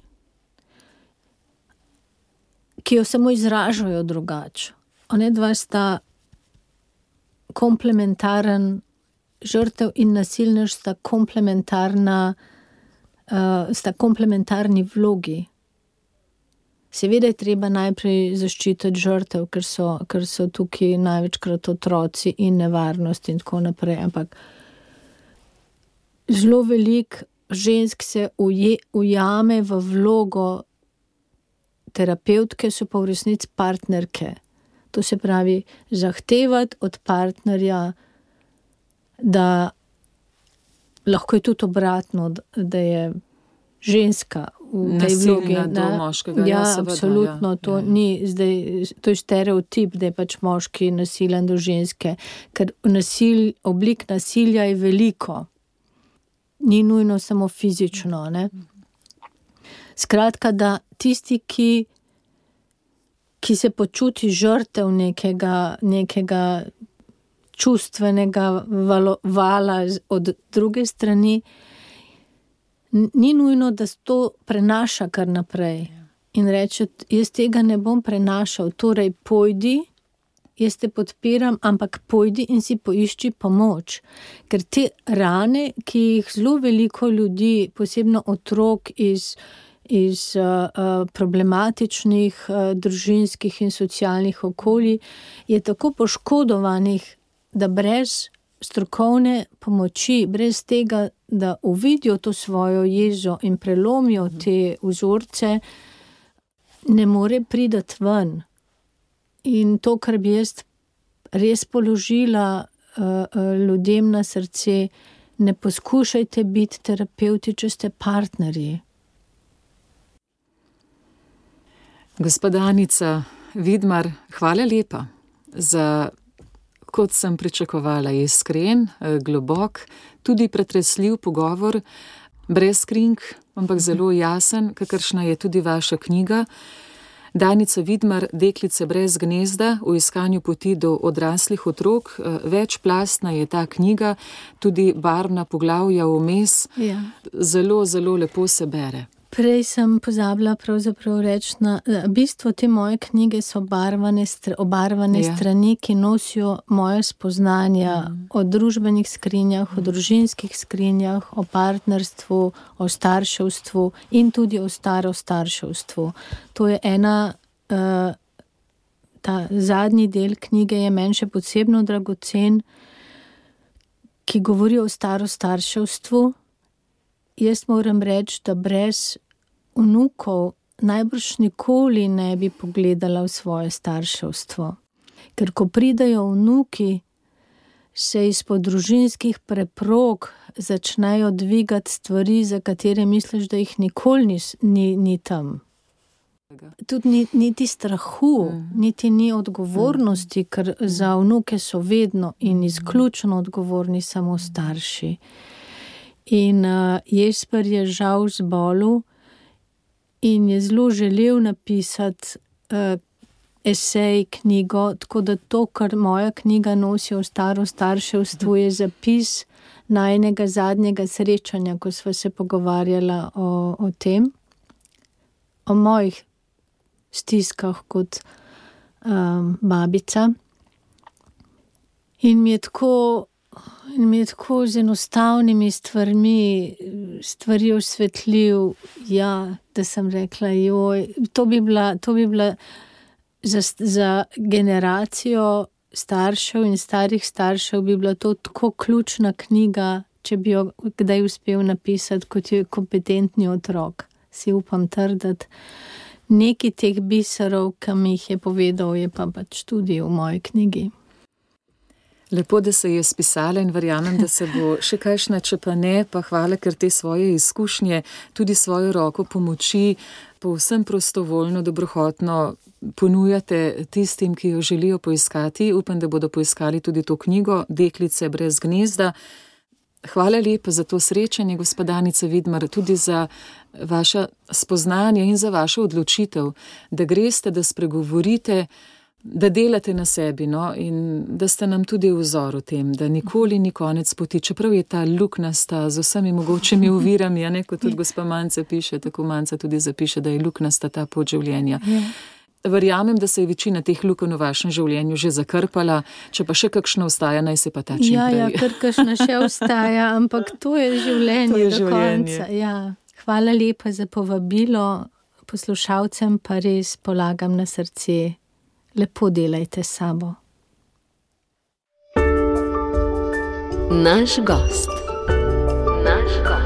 ki jo samo izražajo drugače. One dva sta komplementaren, žrtev in nasilnež sta komplementarna, uh, sta komplementarni vlogi. Seveda je treba najprej zaščititi žrtev, ker so, ker so tukaj največkrat otroci in nevarnost in tako naprej, ampak zelo veliko žensk se uje, ujame v vlogo terapevtke, so pa v resnici partnerke. To se pravi, zahtevati od partnerja, da lahko je tudi obratno, da je ženska v tej vlogi. Moškega, ja, ja, seveda, absolutno, ja, to ja. ni zdaj, to je stereotip, da je pač moški nasilen do ženske, ker nasil, oblik nasilja je veliko. Ni nujno samo fizično, ne? Skratka, da tisti, ki ki se počuti žrtev nekega, nekega čustvenega valo, vala od druge strani, ni nujno, da se to prenaša kar naprej. In reče, jaz tega ne bom prenašal, torej pojdi, jaz te podpiram, ampak pojdi in si poišči pomoč. Ker te rane, ki jih zelo veliko ljudi, posebno otrok iz iz uh, problematičnih uh, družinskih in socialnih okolij, je tako poškodovanih, da brez strokovne pomoči, brez tega, da uvidijo to svojo jezo in prelomijo te vzorce, ne more priti ven. In to, kar bi jaz res položila ljudem na srce, ne poskušajte biti terapevti, če ste partnerji. Gospa Danica Vidmar, hvala lepa za, kot sem pričakovala, iskren, globok, tudi pretresljiv pogovor, brez kring, ampak zelo jasen, kakršna je tudi vaša knjiga. Danica Vidmar, Deklice brez gnezda, v iskanju poti do odraslih otrok. Večplastna je ta knjiga, tudi barvna poglavja vmes. Ja. Zelo, zelo lepo se bere. Prej sem pozabila pravzaprav reči, na bistvo te moje knjige so barvane, obarvane ja. strani, ki nosijo moje spoznanja mm. o družbenih skrinjah, mm. o družinskih skrinjah, o partnerstvu, o starševstvu in tudi o starostarševstvu. To je ena, uh, ta zadnji del knjige je meni še posebno dragocen, ki govori o starostarševstvu. Jaz moram reči, da brez vnukov najbrž nikoli ne bi pogledala v svoje starševstvo. Ker ko pridejo vnuki, se izpod družinskih preprog začnejo dvigati stvari, za katere misliš, da jih nikoli ni, ni, ni tam. Tudi ni, niti strahu, mm. niti ni odgovornosti, ker mm. za vnuke so vedno in izključno odgovorni samo starši. In uh, Jesper je žal zbolel in je zelo želel napisati uh, esej, knjigo, tako da to, kar moja knjiga nosi o staro starševstvu, je zapis najnega zadnjega srečanja, ko sva se pogovarjala o, o tem, o mojih stiskah kot um, babica. In mi je tako In mi je tako z enostavnimi stvarmi, stvari osvetljiv, ja, da sem rekla, joj, to bi bila, to bi bila za, za generacijo staršev in starih staršev bi bila to tako ključna knjiga, če bi jo kdaj uspel napisati, kot je kompetentni otrok. Si upam trditi. Neki teh biserov, ki mi jih je povedal, je pa pač tudi v moji knjigi. Lepo, da se je spisala in verjamem, da se bo še kakšna, če pa ne, pa hvala, ker te svoje izkušnje, tudi svojo roko pomoči, povsem prostovoljno, dobrohotno ponujate tistim, ki jo želijo poiskati. Upam, da bodo poiskali tudi to knjigo Deklice brez gnezda. Hvala lepa za to srečanje, gospa Danica Vidmar, tudi za vaša spoznanja in za vašo odločitev, da greste, da spregovorite, da delate na sebi, no, in da ste nam tudi vzor v tem, da nikoli ni konec poti, čeprav je ta luknasta z vsemi mogočimi ovirami, a ne, kot tudi gospa Manca piše, tako Manca tudi zapiše, da je luknasta ta pot življenja. Verjamem, da se je večina teh lukenj v vašem življenju že zakrpala, če pa še kakšna ostaja, naj se pa ta čim ja, prej. Ja, ker kakšna še ostaja, ampak to je življenje, to je do življenje. Konca. Ja. Hvala lepa za povabilo, poslušalcem pa res polagam na srce. Lepo delajte s sabo. Naš gost. Naš gost.